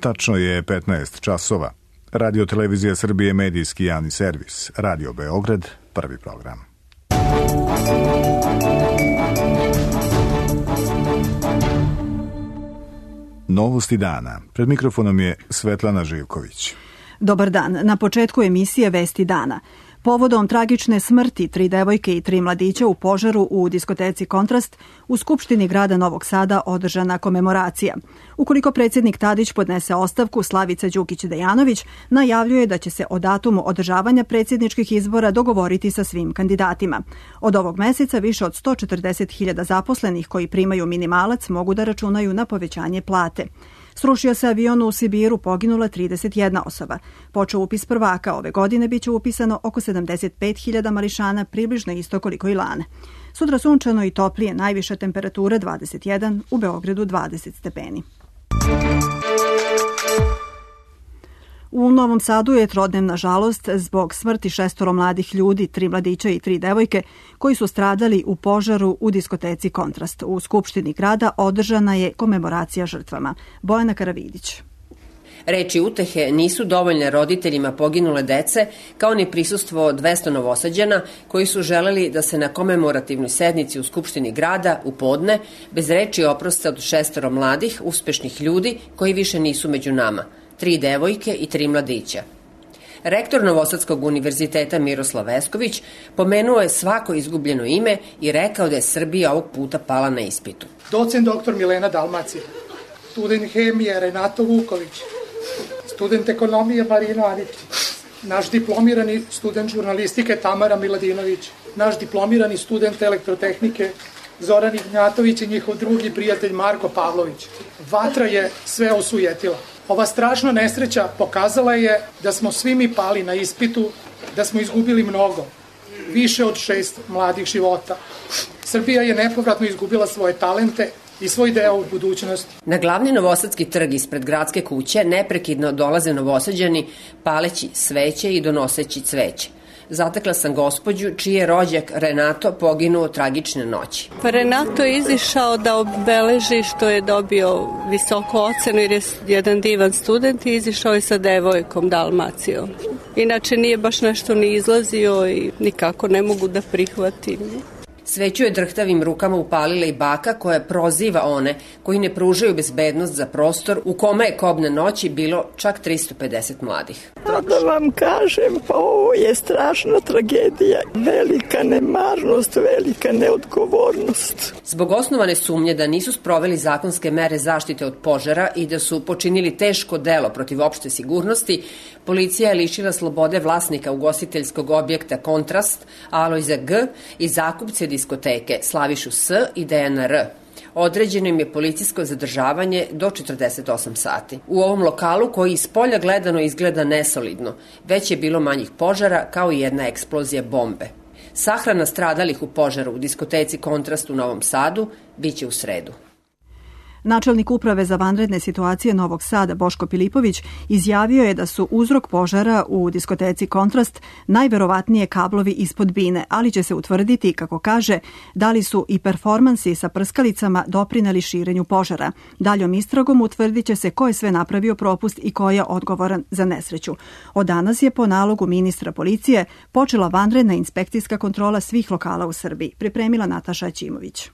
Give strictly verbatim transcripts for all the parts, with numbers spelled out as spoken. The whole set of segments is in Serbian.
Tačno je petnaest časova. Radio Televizija Srbije, medijski javni servis. Radio Beograd, prvi program. Novosti dana. Pred mikrofonom je Svetlana Živković. Dobar dan. Na početku emisije Vesti dana. Povodom tragične smrti tri devojke i tri mladića u požaru u diskoteci Kontrast, u Skupštini grada Novog Sada održana komemoracija. Ukoliko predsjednik Tadić podnese ostavku, Slavica Đukić-Dejanović najavljuje da će se o datumu održavanja predsjedničkih izbora dogovoriti sa svim kandidatima. Od ovog meseca više od sto četrdeset hiljada zaposlenih koji primaju minimalac mogu da računaju na povećanje plate. Srušio se avion u Sibiru, poginula trideset jedna osoba. Počeo upis prvaka, ove godine biće upisano oko sedamdeset pet hiljada mališana, približno isto koliko i lane. Sutra sunčano i toplije, najviša temperatura dvadeset jedan, u Beogradu dvadeset stepeni. U Novom Sadu je trodnevna žalost zbog smrti šestoro mladih ljudi, tri mladića i tri devojke, koji su stradali u požaru u diskoteci Kontrast. U Skupštini grada održana je komemoracija žrtvama. Bojana Karavidić. Reči utehe nisu dovoljne roditeljima poginule dece, kao ni prisustvo dvesta Novosađana koji su želeli da se na komemorativnoj sednici u Skupštini grada u podne bez reči oproste od šestoro mladih, uspešnih ljudi koji više nisu među nama. Tri devojke i tri mladića. Rektor Novosadskog univerziteta Miroslav Vesković pomenuo je svako izgubljeno ime i rekao da je Srbija ovog puta pala na ispitu. Docent doktor Milena Dalmacija, student hemije Renato Vuković, student ekonomije Marina Anić, naš diplomirani student žurnalistike Tamara Miladinović, naš diplomirani student elektrotehnike Zoran Ignjatović i njihov drugi prijatelj Marko Pavlović. Vatra je sve osujetila. Ova strašna nesreća pokazala je da smo svi mi pali na ispitu, da smo izgubili mnogo, više od šest mladih života. Srbija je nepovratno izgubila svoje talente i svoj deo u budućnosti. Na glavni novosadski trg ispred gradske kuće neprekidno dolaze Novosađani paleći sveće i donoseći cveće. Zatekla sam gospođu čiji je rođak Renato poginuo tragične noći. Pa Renato je izišao da obeleži što je dobio visoku ocenu jer je jedan divan student i izišao je sa devojkom Dalmacijom. Inače nije baš nešto ni izlazio i nikako ne mogu da prihvatim. Sveću je drhtavim rukama upalila i baka koja proziva one koji ne pružaju bezbednost za prostor u kome je kobne noći bilo čak tristo pedeset mladih. Da vam kažem, pa ovo je strašna tragedija, velika nemarnost, velika neodgovornost. Zbog osnovane sumnje da nisu sproveli zakonske mere zaštite od požara i da su počinili teško delo protiv opšte sigurnosti, policija je lišila slobode vlasnika ugostiteljskog objekta Kontrast, Alojza G. i zakupce diskoteke Slavišu S. i Dejana R. Određeno im je policijsko zadržavanje do četrdeset osam sati. U ovom lokalu, koji iz polja gledano izgleda nesolidno, već je bilo manjih požara kao i jedna eksplozija bombe. Sahrana stradalih u požaru u diskoteci Kontrast u Novom Sadu biće u sredu. Načelnik uprave za vanredne situacije Novog Sada Boško Pilipović izjavio je da su uzrok požara u diskoteci Kontrast najverovatnije kablovi ispod bine, ali će se utvrditi, kako kaže, da li su i performansi sa prskalicama doprineli širenju požara. Daljom istragom utvrdit će se ko je sve napravio propust i ko je odgovoran za nesreću. Od danas je po nalogu ministra policije počela vanredna inspekcijska kontrola svih lokala u Srbiji, pripremila Nataša Ćimović.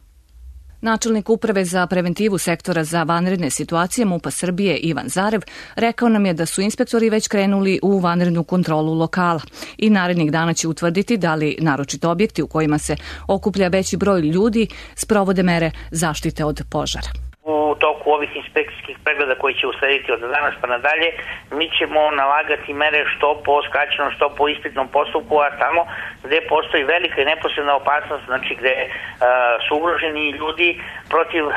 Načelnik uprave za preventivu sektora za vanredne situacije MUP-a Srbije Ivan Zarev rekao nam je da su inspektori već krenuli u vanrednu kontrolu lokala i narednih dana će utvrditi da li naročito objekti u kojima se okuplja veći broj ljudi sprovode mere zaštite od požara. U toku ovih inspekcijskih pregleda koji će uslediti od danas pa nadalje, mi ćemo nalagati mere što po skraćenom, što po ispitnom postupku, a tamo gde postoji velika i neposredna opasnost, znači gde uh, su ugroženi ljudi, protiv uh,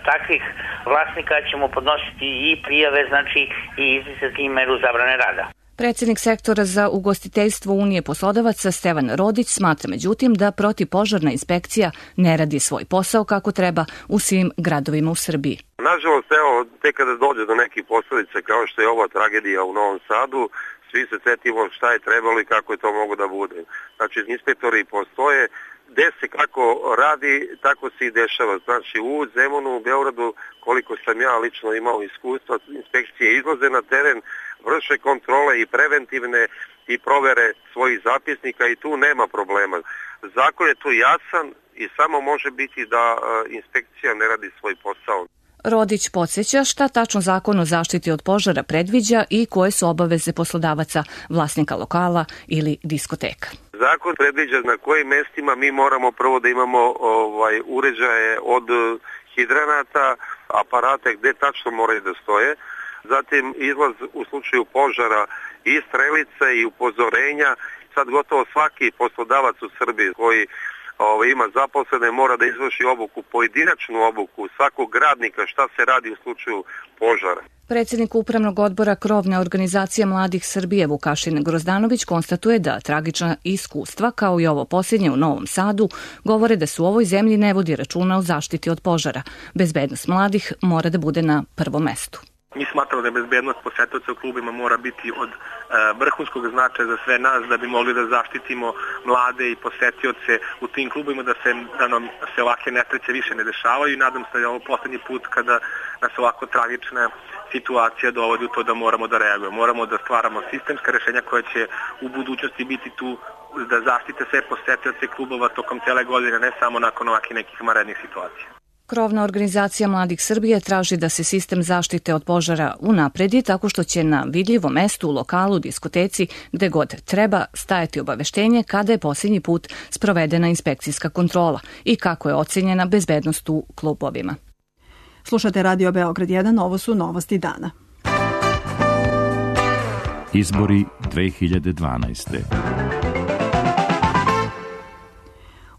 takvih vlasnika ćemo podnositi i prijave, znači i izricati i meru zabrane rada. Predsjednik sektora za ugostiteljstvo Unije poslodavaca Stevan Rodić smatra međutim da protivpožarna inspekcija ne radi svoj posao kako treba u svim gradovima u Srbiji. Nažalost, evo, tek kada dođe do nekih posledica kao što je ova tragedija u Novom Sadu, svi se setimo šta je trebalo i kako je to mogo da bude. Znači, inspektori postoje, gde se kako radi, tako se i dešava. Znači u Zemunu, u Beogradu, koliko sam ja lično imao iskustva, inspekcije izlaze na teren, vrše kontrole i preventivne i provere svojih zapisnika i tu nema problema. Zakon je tu jasan i samo može biti da inspekcija ne radi svoj posao. Rodić podsjeća šta tačno Zakon o zaštiti od požara predviđa i koje su obaveze poslodavaca, vlasnika lokala ili diskoteka. Zakon predviđa na kojim mestima mi moramo prvo da imamo ovaj, uređaje od hidranata, aparate gde tačno moraju da stoje, zatim izlaz u slučaju požara i strelice i upozorenja. Sad gotovo svaki poslodavac u Srbiji koji Ovo, ima zaposlene, mora da izvrši obuku, pojedinačnu obuku svakog radnika šta se radi u slučaju požara. Predsjednik Upravnog odbora Krovne organizacije mladih Srbije Vukašin Grozdanović konstatuje da tragična iskustva, kao i ovo posljednje u Novom Sadu, govore da se u ovoj zemlji ne vodi računa o zaštiti od požara. Bezbednost mladih mora da bude na prvom mestu. Mi smatramo da bezbednost posetioca u klubima mora biti od e, vrhunskog značaja za sve nas da bi mogli da zaštitimo mlade i posetioce u tim klubima, da se, da nam se ovakve nesreće više ne dešavaju i nadam se da je ovo poslednji put kada nas ovako tragična situacija dovodi u to da moramo da reagujemo. Moramo da stvaramo sistemska rešenja koja će u budućnosti biti tu da zaštite sve posetioce klubova tokom cele godine, ne samo nakon ovakvih nekih vanrednih situacija. Krovna organizacija mladih Srbije traži da se sistem zaštite od požara unapredi tako što će na vidljivom mestu u lokalu, diskoteci, gde god treba stajati obaveštenje kada je posljednji put sprovedena inspekcijska kontrola i kako je ocenjena bezbednost u klubovima. Slušate Radio Beograd jedan, ovo su novosti dana. Izbori dve hiljade dvanaeste.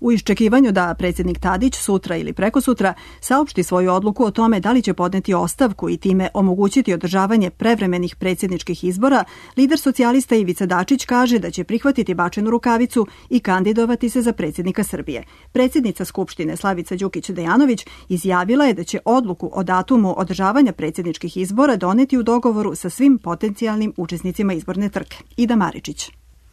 U iščekivanju da predsjednik Tadić sutra ili prekosutra saopšti svoju odluku o tome da li će podneti ostavku i time omogućiti održavanje prevremenih predsjedničkih izbora, lider socijalista Ivica Dačić kaže da će prihvatiti bačenu rukavicu i kandidovati se za predsjednika Srbije. Predsjednica Skupštine Slavica Đukić-Dejanović izjavila je da će odluku o datumu održavanja predsjedničkih izbora doneti u dogovoru sa svim potencijalnim učesnicima izborne trke. Ida Maričić.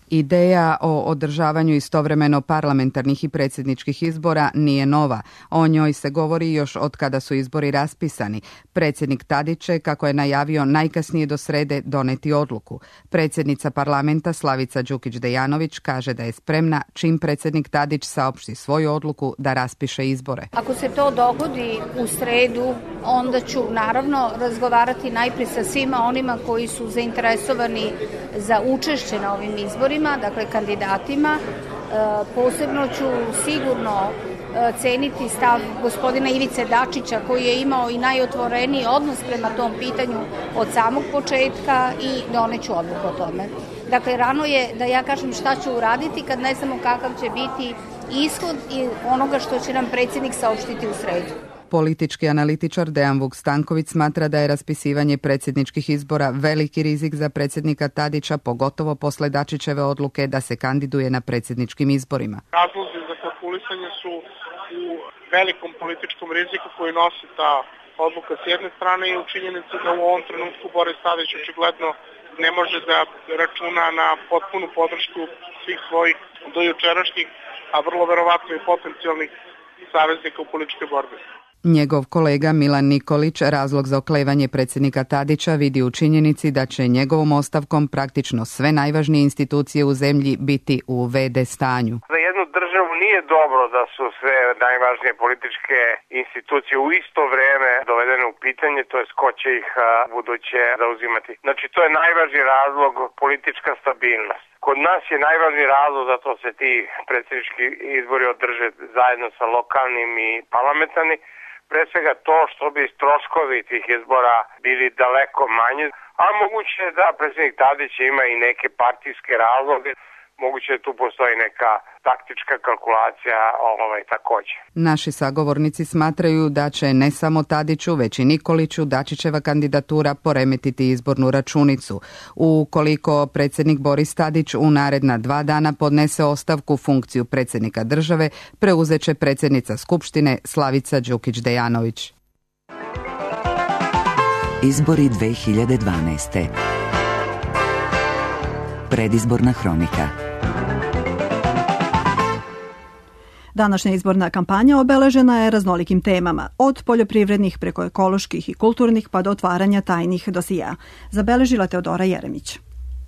Ideja o održavanju istovremeno parlamentarnih i predsjedničkih izbora nije nova. O njoj se govori još od kada su izbori raspisani. Predsjednik Tadić će, kako je najavio, najkasnije do srede doneti odluku. Predsjednica parlamenta Slavica Đukić-Dejanović kaže da je spremna čim predsjednik Tadić saopšti svoju odluku da raspiše izbore. Ako se to dogodi u sredu, onda ću naravno razgovarati najprije sa svima onima koji su zainteresovani za učešće na ovim izborima, dakle kandidatima. Posebno ću sigurno ceniti stav gospodina Ivice Dačića koji je imao i najotvoreniji odnos prema tom pitanju od samog početka i doneću odluku o tome. Dakle, rano je da ja kažem šta ću uraditi kad ne znamo kakav će biti ishod i onoga što će nam predsjednik saopštiti u sredu. Politički analitičar Dejan Vuk Stanković smatra da je raspisivanje predsjedničkih izbora veliki rizik za predsjednika Tadića, pogotovo posle Dačićeve odluke da se kandiduje na predsjedničkim izborima. Razlozi za kalkulisanje su u velikom političkom riziku koji nosi ta odluka s jedne strane i u činjenici da u ovom trenutku Boris Tadić očigledno ne može da računa na potpunu podršku svih svojih dojučerašnjih, a vrlo verovatno i potencijalnih saveznika u političkoj borbi. Njegov kolega Milan Nikolić razlog za oklevanje predsjednika Tadića vidi u činjenici da će njegovom ostavkom praktično sve najvažnije institucije u zemlji biti u ve de stanju. Za jednu državu nije dobro da su sve najvažnije političke institucije u isto vreme dovedene u pitanje, to jest ko će ih buduće zauzimati. Znači to je najvažniji razlog, politička stabilnost. Kod nas je najvažniji razlog da to se ti predsjednički izbori održe zajedno sa lokalnim i parlamentarnim. Pre svega to što bi troškovi tih izbora bili daleko manji, a moguće je da predsjednik Tadić ima i neke partijske razloge, moguće da tu postoji neka taktička kalkulacija ovaj, takođe. Naši sagovornici smatraju da će ne samo Tadiću, već i Nikoliću Dačićeva kandidatura poremetiti izbornu računicu. Ukoliko predsjednik Boris Tadić u naredna dva dana podnese ostavku funkciju predsjednika države, preuzeće predsjednica Skupštine Slavica Đukić-Dejanović. Izbori dve hiljade dvanaeste. Predizborna hronika. Današnja izborna kampanja obeležena je raznolikim temama, od poljoprivrednih preko ekoloških i kulturnih pa do otvaranja tajnih dosija. Zabeležila Teodora Jeremić.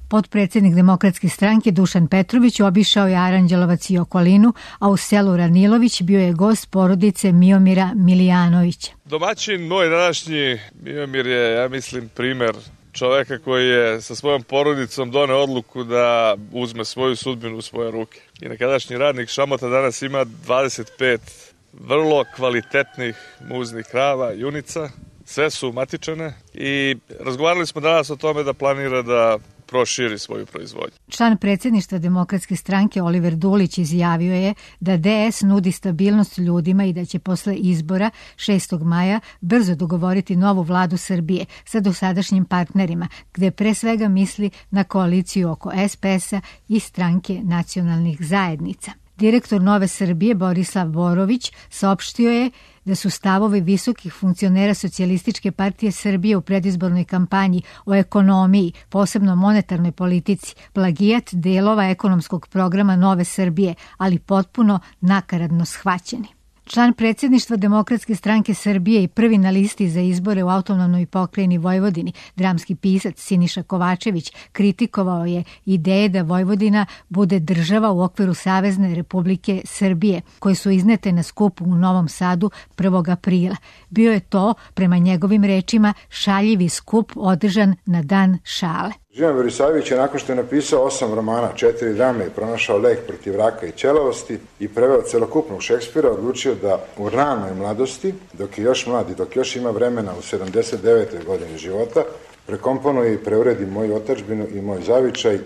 Potpredsjednik Demokratske stranke Dušan Petrović obišao je Aranđelovac i okolinu, a u selu Ranilović bio je gost porodice Miomira Milijanovića. Domaćin moj današnji Miomir je, ja mislim, primer čoveka koji je sa svojom porodicom doneo odluku da uzme svoju sudbinu u svoje ruke. I nekadašnji radnik Šamota danas ima dvadeset pet vrlo kvalitetnih muznih krava, junica, sve su matičane i razgovarali smo danas o tome da planira da proširi svoju proizvodnju. Član predsjedništva Demokratske stranke Oliver Dulić izjavio je da D S nudi stabilnost ljudima i da će posle izbora šestog maja brzo dogovoriti novu vladu Srbije sa dosadašnjim partnerima, gde pre svega misli na koaliciju oko S P S-a i stranke nacionalnih zajednica. Direktor Nove Srbije Borislav Borović saopštio je da su stavovi visokih funkcionera Socijalističke partije Srbije u predizbornoj kampanji o ekonomiji, posebno monetarnoj politici, plagijat delova ekonomskog programa Nove Srbije, ali potpuno nakaradno shvaćeni. Član predsjedništva Demokratske stranke Srbije i prvi na listi za izbore u autonomnoj pokrajini Vojvodini, dramski pisac Siniša Kovačević, kritikovao je ideje da Vojvodina bude država u okviru Savezne Republike Srbije, koje su iznete na skupu u Novom Sadu prvog aprila. Bio je to, prema njegovim rečima, šaljivi skup održan na dan šale. Živan Verisavljević je nakon što je napisao osam romana, četiri drame i pronašao lek protiv raka i ćelavosti i preveo celokupnog Šekspira, odlučio da u ranoj mladosti, dok je još mlad i dok još ima vremena u sedamdeset devetoj godini života, prekomponuje i preuredi moju otadžbinu i moj zavičaj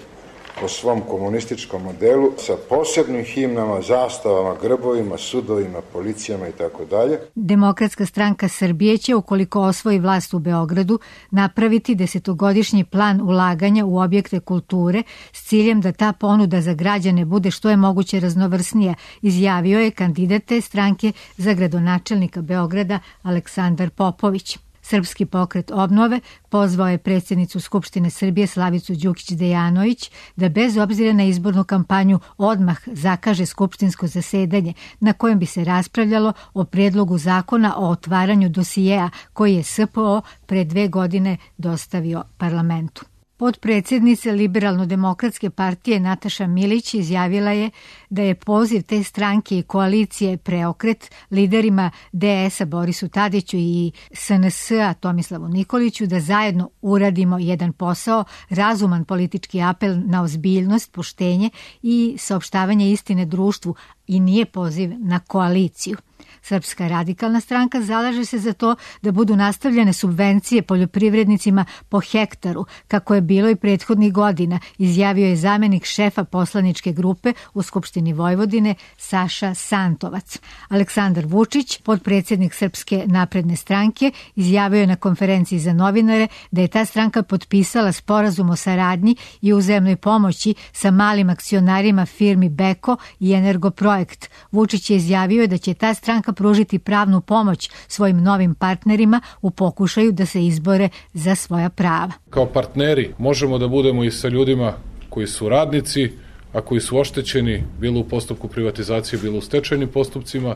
po svom komunističkom modelu sa posebnim himnama, zastavama, grbovima, sudovima, policijama i tako dalje. Demokratska stranka Srbije će, ukoliko osvoji vlast u Beogradu, napraviti desetogodišnji plan ulaganja u objekte kulture s ciljem da ta ponuda za građane bude što je moguće raznovrsnija, izjavio je kandidat te stranke za gradonačelnika Beograda Aleksandar Popović. Srpski pokret obnove pozvao je predsjednicu Skupštine Srbije Slavicu Đukić-Dejanović da bez obzira na izbornu kampanju odmah zakaže skupštinsko zasedanje na kojem bi se raspravljalo o predlogu zakona o otvaranju dosijeja koji je S P O pre dve godine dostavio parlamentu. Potpredsjednica Liberalno-demokratske partije Nataša Milić izjavila je da je poziv te stranke i koalicije Preokret liderima D S-a Borisu Tadiću i S N S-a Tomislavu Nikoliću da zajedno uradimo jedan posao, razuman politički apel na ozbiljnost, poštenje i saopštavanje istine društvu i nije poziv na koaliciju. Srpska radikalna stranka zalaže se za to da budu nastavljene subvencije poljoprivrednicima po hektaru, kako je bilo i prethodnih godina, izjavio je zamenik šefa poslaničke grupe u Skupštini Vojvodine Saša Santovac. Aleksandar Vučić, potpredsjednik Srpske napredne stranke, izjavio je na konferenciji za novinare da je ta stranka potpisala sporazum o saradnji i uzajamnoj pomoći sa malim akcionarima firmi Beko i Energoprojekt. Vučić je izjavio da će ta stranka pružiti pravnu pomoć svojim novim partnerima u pokušaju da se izbore za svoja prava. Kao partneri možemo da budemo i sa ljudima koji su radnici, a koji su oštećeni bilo u postupku privatizacije, bilo u stečajnim postupcima,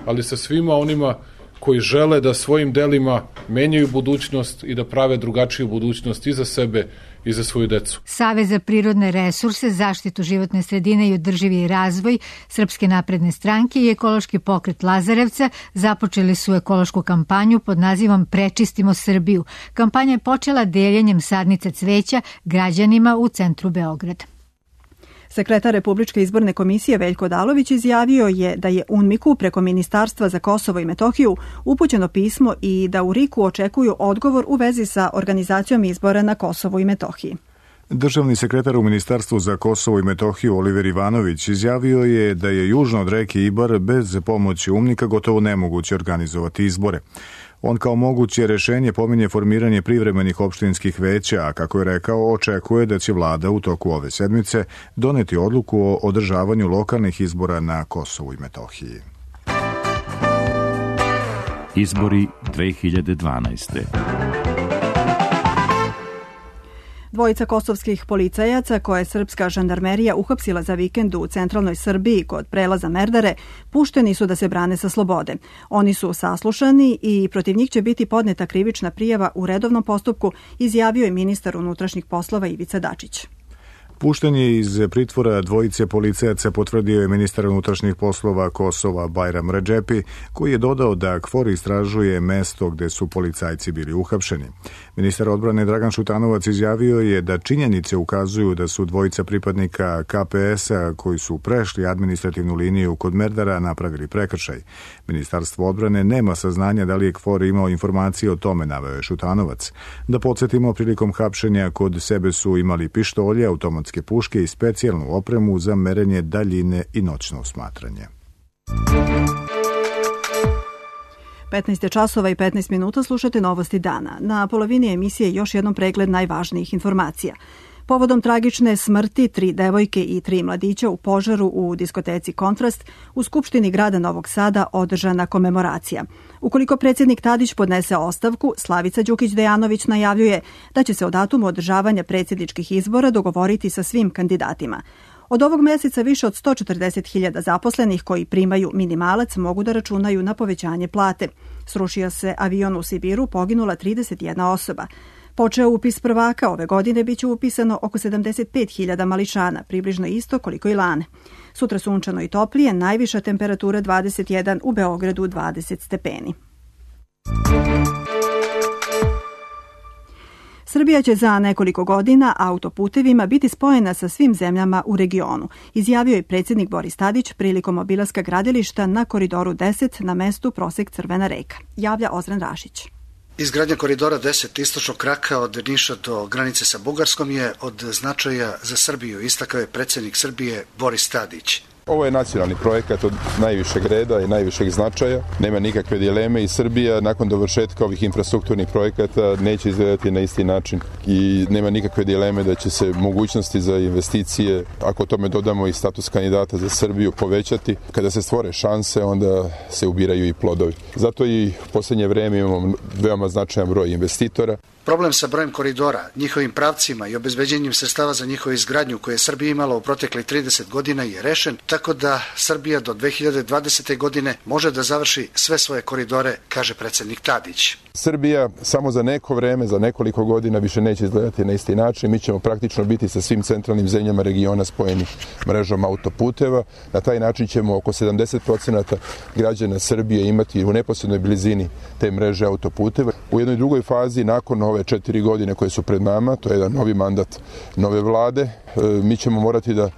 ali sa svima onima koji žele da svojim delima menjaju budućnost i da prave drugačiju budućnost i za sebe i za svoju decu. Savez za prirodne resurse, zaštitu životne sredine i održivi razvoj Srpske napredne stranke i ekološki pokret Lazarevca započeli su ekološku kampanju pod nazivom Prečistimo Srbiju. Kampanja je počela deljenjem sadnica cveća građanima u centru Beograda. Sekretar Republičke izborne komisije Veljko Odalović izjavio je da je U N M I K-u preko Ministarstva za Kosovo i Metohiju upućeno pismo i da u R I K-u očekuju odgovor u vezi sa organizacijom izbora na Kosovu i Metohiji. Državni sekretar u Ministarstvu za Kosovo i Metohiju Oliver Ivanović izjavio je da je južno od reke Ibar bez pomoći U N M I K-a gotovo nemoguće organizovati izbore. On kao moguće rešenje pominje formiranje privremenih opštinskih veća, a kako je rekao, očekuje da će vlada u toku ove sedmice doneti odluku o održavanju lokalnih izbora na Kosovu i Metohiji. Izbori dve hiljade dvanaeste. Dvojica kosovskih policajaca koje je srpska žandarmerija uhapsila za vikend u centralnoj Srbiji kod prelaza Merdare pušteni su da se brane sa slobode. Oni su saslušani i protiv njih će biti podneta krivična prijava u redovnom postupku, izjavio je ministar unutrašnjih poslova Ivica Dačić. Puštenje iz pritvora dvojice policajaca potvrdio je ministar unutrašnjih poslova Kosova Bajram Redžepi, koji je dodao da KFOR istražuje mesto gde su policajci bili uhapšeni. Ministar odbrane Dragan Šutanovac izjavio je da činjenice ukazuju da su dvojica pripadnika K P S-a koji su prešli administrativnu liniju kod Merdara napravili prekršaj. Ministarstvo odbrane nema saznanja da li je KFOR imao informacije o tome, naveo je Šutanovac. Da podsjetimo, prilikom hapšenja kod sebe su imali pištolje, automatske puške i specijalnu opremu za merenje daljine i noćno osmatranje. petnaest časova i petnaest minuta, slušate Novosti dana. Na polovini emisije još jednom pregled najvažnijih informacija. Povodom tragične smrti tri devojke i tri mladića u požaru u diskoteci Kontrast u Skupštini grada Novog Sada održana komemoracija. Ukoliko predsjednik Tadić podnese ostavku, Slavica Đukić-Dejanović najavljuje da će se o datumu održavanja predsjedničkih izbora dogovoriti sa svim kandidatima. Od ovog mjeseca više od sto četrdeset hiljada zaposlenih koji primaju minimalac mogu da računaju na povećanje plate. Srušio se avion u Sibiru, poginula trideset jedna osoba. Počeo upis prvaka, ove godine biće upisano oko sedamdeset pet hiljada mališana, približno isto koliko i lane. Sutra sunčano i toplije, najviša temperatura dvadeset jedan, u Beogradu dvadeset stepeni. Srbija će za nekoliko godina autoputevima biti spojena sa svim zemljama u regionu, izjavio je predsjednik Boris Tadić prilikom obilaska gradilišta na Koridoru deset na mestu Prosek Crvena reka, javlja Ozren Rašić. Izgradnja Koridora deset istočnog kraka od Niša do granice sa Bugarskom je od značaja za Srbiju, istakao je predsjednik Srbije Boris Tadić. Ovo je nacionalni projekat od najvišeg reda i najvišeg značaja. Nema nikakve dileme i Srbija nakon dovršetka ovih infrastrukturnih projekata neće izgledati na isti način i nema nikakve dileme da će se mogućnosti za investicije, ako tome dodamo i status kandidata za Srbiju, povećati. Kada se stvore šanse, onda se ubiraju i plodovi. Zato i u posljednje vreme imamo veoma značajan broj investitora. Problem sa brojem koridora, njihovim pravcima i obezbeđenjem sredstava za njihovu izgradnju koje je Srbija imala u proteklih trideset godina je rešen, tako da Srbija do dve hiljade dvadesete. godine može da završi sve svoje koridore, kaže predsjednik Tadić. Srbija samo za neko vreme, za nekoliko godina više neće izgledati na isti način. Mi ćemo praktično biti sa svim centralnim zemljama regiona spojeni mrežom autoputeva. Na taj način ćemo oko sedamdeset procenata građana Srbije imati u neposrednoj blizini te mreže autoputeva. U jednoj drugoj fazi, nakon ove četiri godine koje su pred nama, to je jedan novi mandat nove vlade, mi ćemo morati da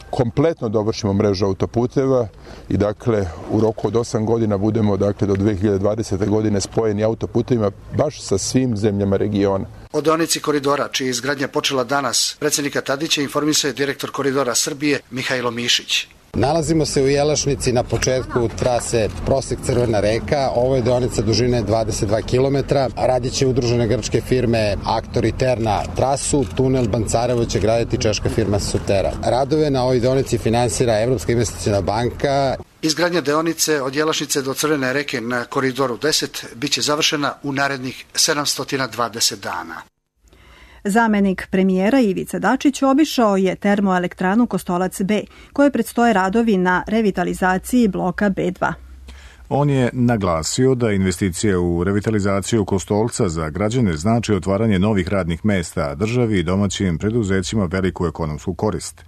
kompletno dovršimo mrežu autoputeva i dakle u roku od osam godina budemo dakle do dve hiljade dvadesete. godine spojeni autoputevima baš sa svim zemljama regiona. O deonici koridora, čija je izgradnja počela danas, predsjednika Tadića informisao je direktor Koridora Srbije Mihajlo Mišić. Nalazimo se u Jelašnici na početku trase Prosek Crvena reka. Ovo je deonica dužine dvadeset dva kilometra. Radit će udružene grčke firme Aktor i Terna trasu. Tunel Bancarevo će graditi češka firma Sotera. Radove na ovoj deonici finansira Evropska investiciona banka. Izgradnja deonice od Jelašnice do Crvene reke na Koridoru deset biće završena u narednih sedamsto dvadeset dana. Zamenik premijera Ivica Dačić obišao je termoelektranu Kostolac B, koje predstoje radovi na revitalizaciji bloka B dva. On je naglasio da investicije u revitalizaciju Kostolca za građane znači otvaranje novih radnih mesta, državi i domaćim preduzećima veliku ekonomsku korist.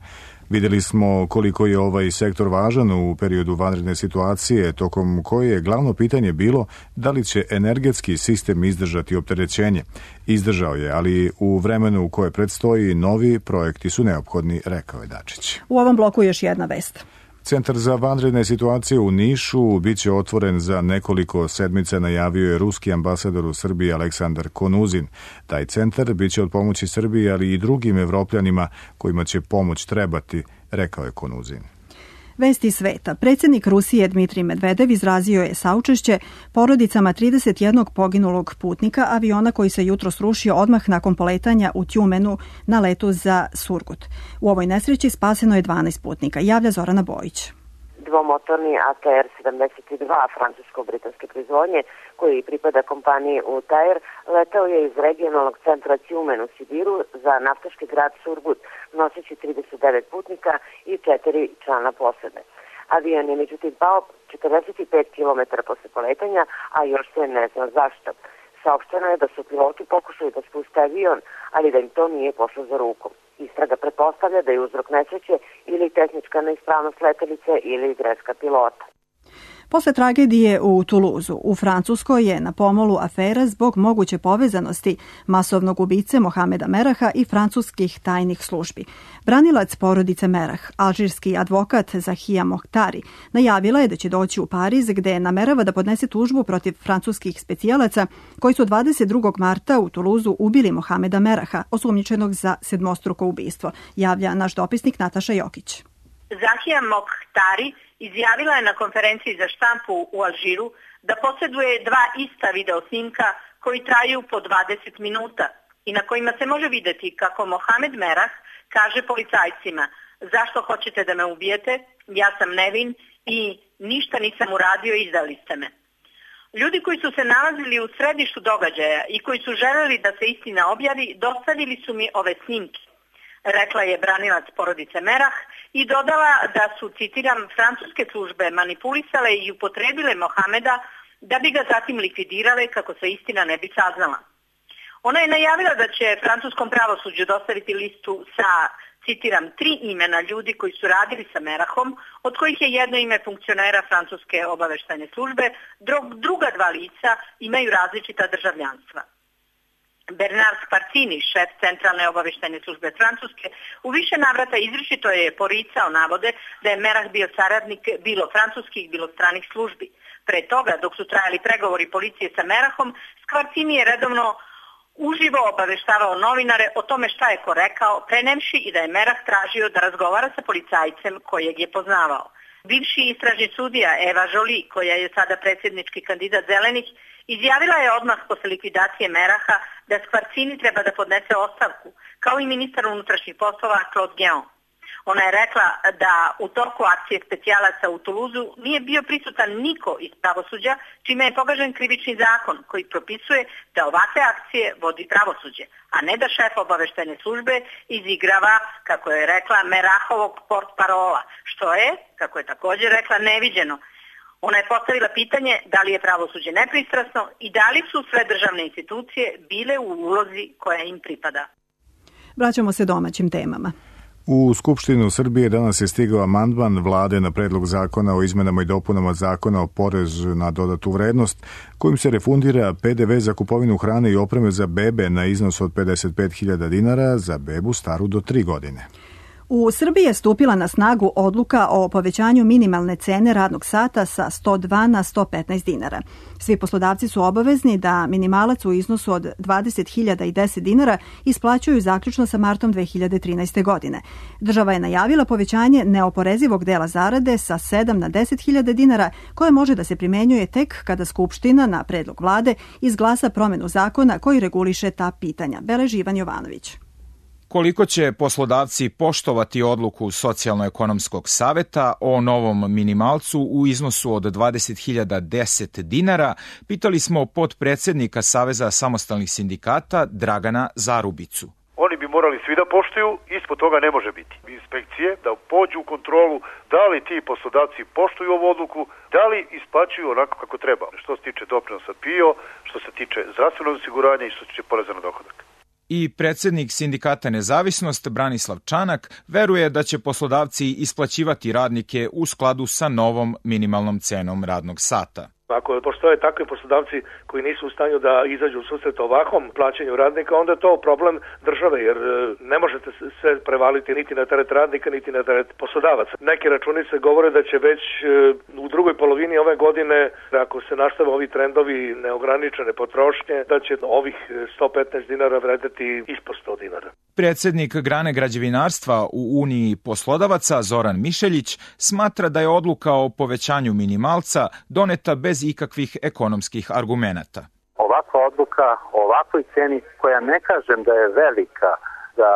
Vidjeli smo koliko je ovaj sektor važan u periodu vanredne situacije, tokom koje je glavno pitanje bilo da li će energetski sistem izdržati opterećenje. Izdržao je, ali u vremenu u koje predstoji novi projekti su neophodni, rekao je Dačić. U ovom bloku još jedna vest. Centar za vanredne situacije u Nišu biće otvoren za nekoliko sedmica, najavio je ruski ambasador u Srbiji Aleksandar Konuzin. Taj centar biće od pomoći Srbiji, ali i drugim evropljanima kojima će pomoć trebati, rekao je Konuzin. Vesti sveta. Predsjednik Rusije Dmitrij Medvedev izrazio je saučešće porodicama trideset jednog poginulog putnika aviona koji se jutros srušio odmah nakon poletanja u Tjumenu na letu za Surgut. U ovoj nesreći spaseno je dvanaest putnika, javlja Zorana Bojić. Dvomotorni A T R sedamdeset dva francusko-britanske proizvodnje, koji pripada kompaniji Utair, letao je iz regionalnog centra Tjumen u Sibiru za naftaški grad Surgut, noseći trideset devet putnika i četiri člana posade. Avion je međutim pao četrdeset pet kilometara posle poletanja, a još se ne zna zašto. Saopšteno je da su piloti pokušali da spuste avion, ali da im to nije pošlo za rukom. Istraga pretpostavlja da je uzrok nesreće ili tehnička neispravnost letelice ili greška pilota. Posle tragedije u Tuluzu, u Francuskoj je na pomolu afera zbog moguće povezanosti masovnog ubice Mohameda Meraha i francuskih tajnih službi. Branilac porodice Merah, alžirski advokat Zahija Mohtari, najavila je da će doći u Pariz gde namerava da podnese tužbu protiv francuskih specijalaca koji su dvadeset drugog marta u Tuluzu ubili Mohameda Meraha, osumnjičenog za sedmostruko ubistvo, javlja naš dopisnik Nataša Jokić. Zahija Mohtari izjavila je na konferenciji za štampu u Alžiru da posjeduje dva ista video snimka koji traju po dvadeset minuta i na kojima se može vidjeti kako Mohamed Merah kaže policajcima: zašto hoćete da me ubijete, ja sam nevin i ništa nisam uradio, izdali ste me. Ljudi koji su se nalazili u središtu događaja i koji su želeli da se istina objavi, dostavili su mi ove snimke, rekla je branilac porodice Merah i dodala da su, citiram, francuske službe manipulisale i upotrebile Mohameda da bi ga zatim likvidirale kako se istina ne bi saznala. Ona je najavila da će francuskom pravosuđu dostaviti listu sa, citiram, tri imena ljudi koji su radili sa Merahom, od kojih je jedno ime funkcionera francuske obaveštajne službe, druga dva lica imaju različita državljanstva. Bernard Spartini, šef centralne obaveštajne službe Francuske, u više navrata izričito je poricao navode da je Merah bio saradnik bilo francuskih, bilo stranih službi. Pre toga, dok su trajali pregovori policije sa Merahom, Spartini je redovno uživo obaveštavao novinare o tome šta je ko rekao, prenemši i da je Merah tražio da razgovara sa policajcem kojeg je poznavao. Bivši istražni sudija Eva Joly, koja je sada predsjednički kandidat Zelenih, izjavila je odmah posle likvidacije Meraha da Spartini treba da podnese ostavku, kao i ministar unutrašnjih poslova Claude Guéant. Ona je rekla da u toku akcije specijalaca u Tuluzu nije bio prisutan niko iz pravosuđa, čime je pogažen krivični zakon koji propisuje da ovakve akcije vodi pravosuđe, a ne da šef obaveštajne službe izigrava, kako je rekla, Merahovog portparola, što je, kako je također rekla, neviđeno. Ona je postavila pitanje da li je pravosuđe nepristrasno i da li su sve državne institucije bile u ulozi koja im pripada. Vraćamo se domaćim temama. U Skupštinu Srbije danas je stigao amandman vlade na predlog zakona o izmenama i dopunama zakona o porezu na dodatu vrednost, kojim se refundira P D V za kupovinu hrane i opreme za bebe na iznos od pedeset pet hiljada dinara za bebu staru do tri godine. U Srbiji je stupila na snagu odluka o povećanju minimalne cene radnog sata sa sto dva na sto petnaest dinara. Svi poslodavci su obavezni da minimalac u iznosu od dvadeset hiljada deset dinara isplaćuju zaključno sa martom dve hiljade trinaeste. godine. Država je najavila povećanje neoporezivog dela zarade sa sedam na deset hiljada dinara, koje može da se primenjuje tek kada Skupština na predlog vlade izglasa promenu zakona koji reguliše ta pitanja. Beleži Ivan Jovanović. Koliko će poslodavci poštovati odluku Socijalno-ekonomskog saveta o novom minimalcu u iznosu od dvadeset hiljada deset dinara, pitali smo potpredsednika Saveza samostalnih sindikata Dragana Zarubicu. Oni bi morali svi da poštuju, ispod toga ne može biti. Inspekcije da pođu u kontrolu da li ti poslodavci poštuju ovu odluku, da li isplaćuju onako kako treba. Što se tiče doprinosa P I O, što se tiče zdravstvenog osiguranja i što se tiče poreza na dohodak. I predsjednik sindikata Nezavisnost Branislav Čanak veruje da će poslodavci isplaćivati radnike u skladu sa novom minimalnom cenom radnog sata. Ako postoje takvi poslodavci koji nisu u stanju da izađu u susret ovakvom plaćanju radnika, onda je to problem države, jer ne možete sve prevaliti niti na teret radnika, niti na teret poslodavaca. Neke računice govore da će već u drugoj polovini ove godine, ako se nastave ovi trendovi neograničene potrošnje, da će ovih sto petnaest dinara vredeti ispod sto dinara. Predsjednik grane građevinarstva u Uniji poslodavaca Zoran Mišeljić smatra da je odluka o povećanju minimalca doneta bez ikakvih ekonomskih argumenata. Ovakva odluka o ovakvoj ceni, koja ne kažem da je velika za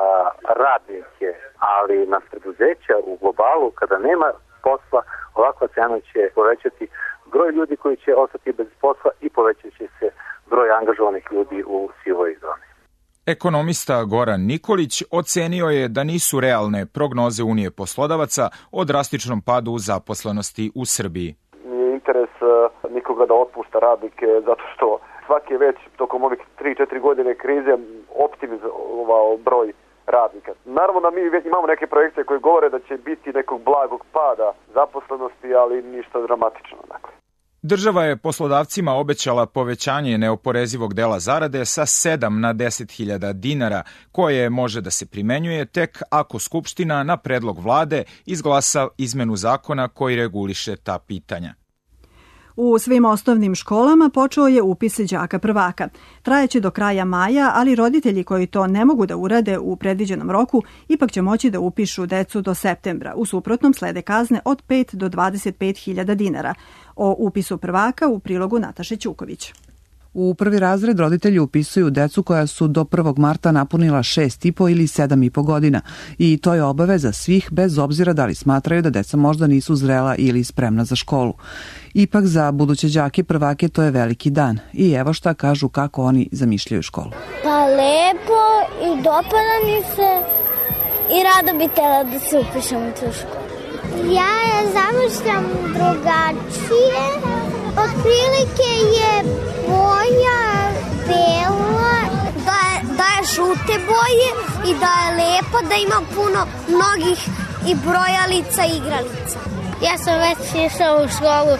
radnike, ali na preduzeća u globalu, kada nema posla, ovakva cena će povećati broj ljudi koji će ostati bez posla i povećat će se broj angažovanih ljudi u sivoj zoni. Ekonomista Goran Nikolić ocenio je da nisu realne prognoze Unije poslodavaca o drastičnom padu zaposlenosti u Srbiji. Nije interes nikoga da otpušta radnike zato što svaki je već tokom ovih tri četiri godine krize optimizovao broj radnika. Naravno da mi već imamo neke projekcije koje govore da će biti nekog blagog pada zaposlenosti, ali ništa dramatično. Dakle. Država je poslodavcima obećala povećanje neoporezivog dela zarade sa sedam na deset hiljada dinara, koje može da se primenjuje tek ako Skupština na predlog vlade izglasa izmenu zakona koji reguliše ta pitanja. U svim osnovnim školama počeo je upis đaka prvaka. Trajeće do kraja maja, ali roditelji koji to ne mogu da urade u predviđenom roku ipak će moći da upišu decu do septembra. U suprotnom slede kazne od pet do dvadeset pet hiljada dinara. O upisu prvaka u prilogu Nataše Ćuković. U prvi razred roditelji upisuju decu koja su do prvog marta napunila šest i po ili sedam i po godina i to je obaveza svih bez obzira da li smatraju da deca možda nisu zrela ili spremna za školu. Ipak za buduće đake prvake to je veliki dan i evo šta kažu kako oni zamišljaju školu. Pa lepo i dopada mi se i rado bi tela da se upišem u tu školu. Ja je zamišljam drugačije. Otprilike je boja bela, da je, da je žute boje i da je lepo, da ima puno mnogih i brojalica i igralica. Ja sam već išla u školu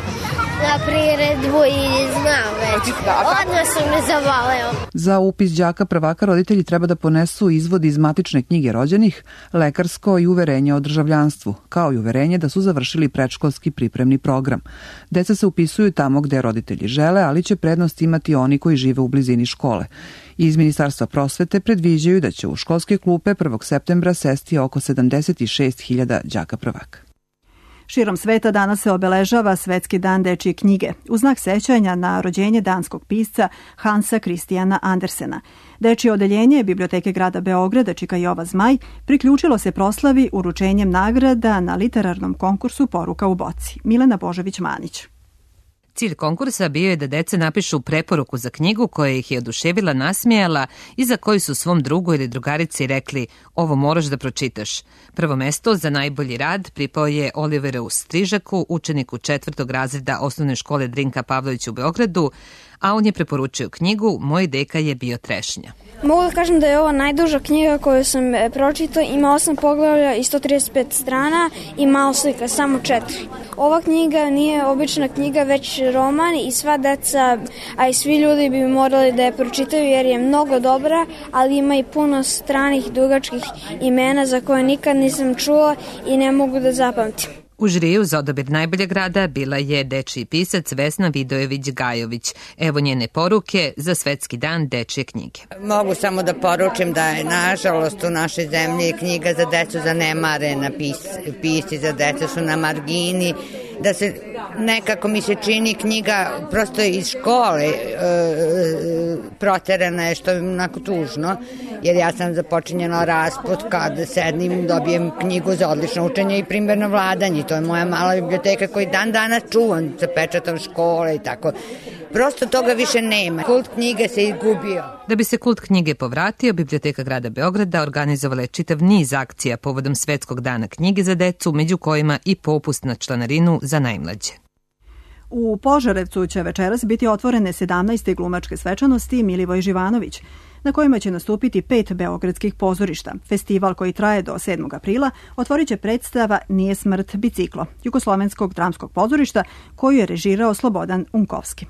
na priredbu i znam već. Odmah sam me zavaleo. Za upis đaka prvaka roditelji treba da ponesu izvod iz matične knjige rođenih, lekarsko i uverenje o državljanstvu, kao i uverenje da su završili predškolski pripremni program. Deca se upisuju tamo gde roditelji žele, ali će prednost imati oni koji žive u blizini škole. Iz Ministarstva prosvete predviđaju da će u školske klupe prvog septembra sesti oko sedamdeset šest hiljada đaka prvaka. Širom sveta danas se obeležava Svetski dan dečije knjige, u znak sećanja na rođenje danskog pisca Hansa Christiana Andersena. Dečije odeljenje Biblioteke grada Beograda Čika Jova Zmaj priključilo se proslavi uručenjem nagrada na literarnom konkursu Poruka u boci. Milena Božović-Manić. Cilj konkursa bio je da deca napišu preporuku za knjigu koja ih je oduševila, nasmijala i za koju su svom drugu ili drugarici rekli ovo moraš da pročitaš. Prvo mesto za najbolji rad pripao je Oliveru Strižaku, učeniku četvrtog razreda osnovne škole Drinka Pavlović u Beogradu, a on je preporučio knjigu Moj deka je bio trešnja. Mogu da kažem da je ovo najduža knjiga koju sam pročitao, ima osam poglavlja i sto trideset pet strana i malo slika, samo četiri. Ova knjiga nije obična knjiga, već roman i sva deca, a i svi ljudi bi morali da je pročitaju jer je mnogo dobra, ali ima i puno stranih dugačkih imena za koje nikad nisam čula i ne mogu da zapamtim. U žiriju za odabir najboljeg rada bila je dečiji pisac Vesna Vidojević-Gajović. Evo njene poruke za Svetski dan dečije knjige. Mogu samo da poručim da je nažalost u našoj zemlji knjiga za decu zanemarena, pis, pisci za decu su na margini, da se nekako mi se čini knjiga prosto iz škole e, proterana je, što je onako tužno, jer ja sam započinjala raspod kada sednim, dobijem knjigu za odlično učenje i primjerno vladanje. To je moja mala biblioteka koju dan danas čuvam sa pečatom škole i tako. Prosto toga više nema. Kult knjige se izgubio. Da bi se kult knjige povratio, Biblioteka grada Beograda organizovala je čitav niz akcija povodom Svetskog dana knjige za decu, među kojima i popust na članarinu za najmlađe. U Požarevcu će večeras biti otvorene sedamnaeste glumačke svečanosti Milivoj Živanović, na kojima će nastupiti pet beogradskih pozorišta. Festival koji traje do sedmog aprila otvorit će predstava Nije smrt biciklo, Jugoslovenskog dramskog pozorišta koju je režirao Slobodan Unkovski.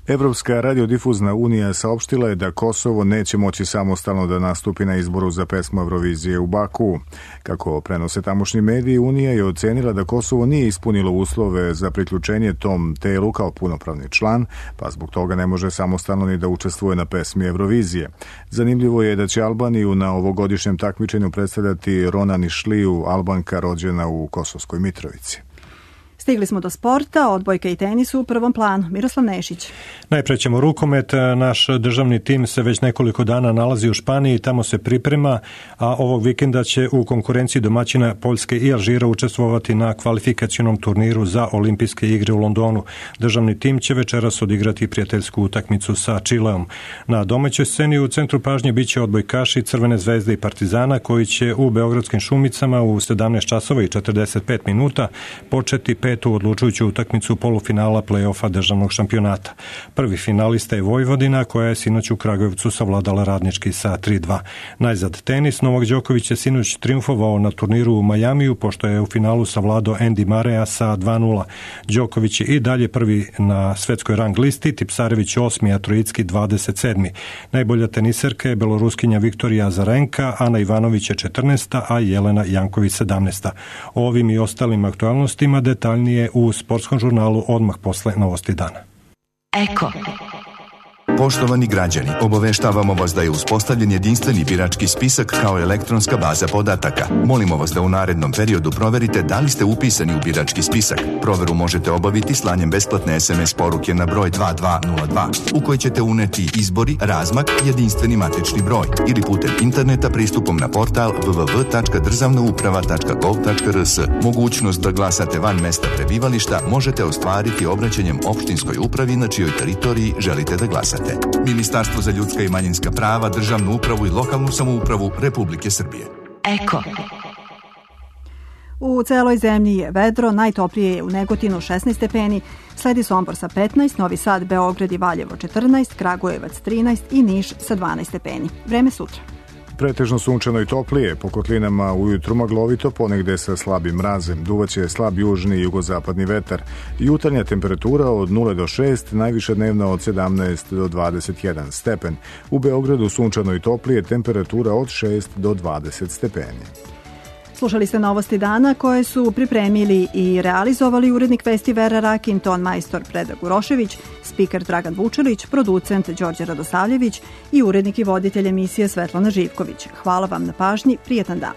Evropska radiodifuzna unija saopštila je da Kosovo neće moći samostalno da nastupi na izboru za pesmu Eurovizije u Baku. Kako prenose tamošnji mediji, Unija je ocenila da Kosovo nije ispunilo uslove za priključenje tom telu kao punopravni član, pa zbog toga ne može samostalno ni da učestvuje na pesmi Eurovizije. Zanimljivo je da će Albaniju na ovogodišnjem takmičenju predstavljati Rona Nišliju, Albanka rođena u Kosovskoj Mitrovici. Stigli smo do sporta, odbojka i tenis u prvom planu. Miroslav Nešić. Najpre ćemo rukomet. Naš državni tim se već nekoliko dana nalazi u Španiji, tamo se priprema, a ovog vikenda će u konkurenciji domaćina Poljske i Alžira učestvovati na kvalifikacionom turniru za olimpijske igre u Londonu. Državni tim će večeras odigrati prijateljsku utakmicu sa Čileom. Na domaćoj sceni u centru pažnje biće odbojkaši Crvene zvezde i Partizana koji će u Beogradskim Šumicama u sedamnaest časova i četrdeset pet minuta početi petu odlučujuću utakmicu polufinala play-offa državnog šampionata. Prvi finalista je Vojvodina koja je sinoć u Kragujevcu savladala Radnički sa tri dva. Najzad tenis. Novak Đoković je sinoć triumfovao na turniru u Majamiju pošto je u finalu savladao Andy Murraya sa dva nula. Đoković je i dalje prvi na svetskoj rang listi, Tipsarević osmi, a Trojicki dvadeset sedmi. Najbolja teniserka je beloruskinja Viktorija Azarenka, Ana Ivanović je četrnaesta, a Jelena Janković sedamnaesta. O ovim i ostalim aktualnostima detaljnije u sportskom žurnalu odmah posle novosti dana. Eko. Poštovani građani, obaveštavamo vas da je uspostavljen jedinstveni birački spisak kao elektronska baza podataka. Molimo vas da u narednom periodu proverite da li ste upisani u birački spisak. Proveru možete obaviti slanjem besplatne es em es poruke na broj dva dva nula dva u kojoj ćete uneti izbori, razmak, jedinstveni matični broj ili putem interneta pristupom na portal w w w tačka državna uprava tačka gov tačka r s. Mogućnost da glasate van mesta prebivališta možete ostvariti obraćanjem opštinskoj upravi na čijoj teritoriji želite da glasate. Ministarstvo za ljudska i manjinska prava, državnu upravu i lokalnu samoupravu Republike Srbije. Eko. U celoj zemlji je vedro, najtoplije je u Negotinu šesnaest stepeni, sledi Sombor sa petnaest, Novi Sad, Beograd i Valjevo četrnaest, Kragujevac trinaest i Niš sa dvanaest stepeni. Vreme sutra. Pretežno sunčano i toplije, po kotlinama ujutru maglovito, ponegde sa slabim mrazem, duvaće slab južni i jugozapadni vetar. Jutarnja temperatura od nula do šest, najviša dnevna od sedamnaest do dvadeset jedan stepen. U Beogradu sunčano i toplije, temperatura od šest do dvadeset stepeni. Slušali ste novosti dana koje su pripremili i realizovali urednik Vesti Vera Rakin, ton majstor Predrag Urošević, spiker Dragan Vučelić, producent Đorđe Radosavljević i urednik i voditelj emisije Svetlana Živković. Hvala vam na pažnji, prijetan dan.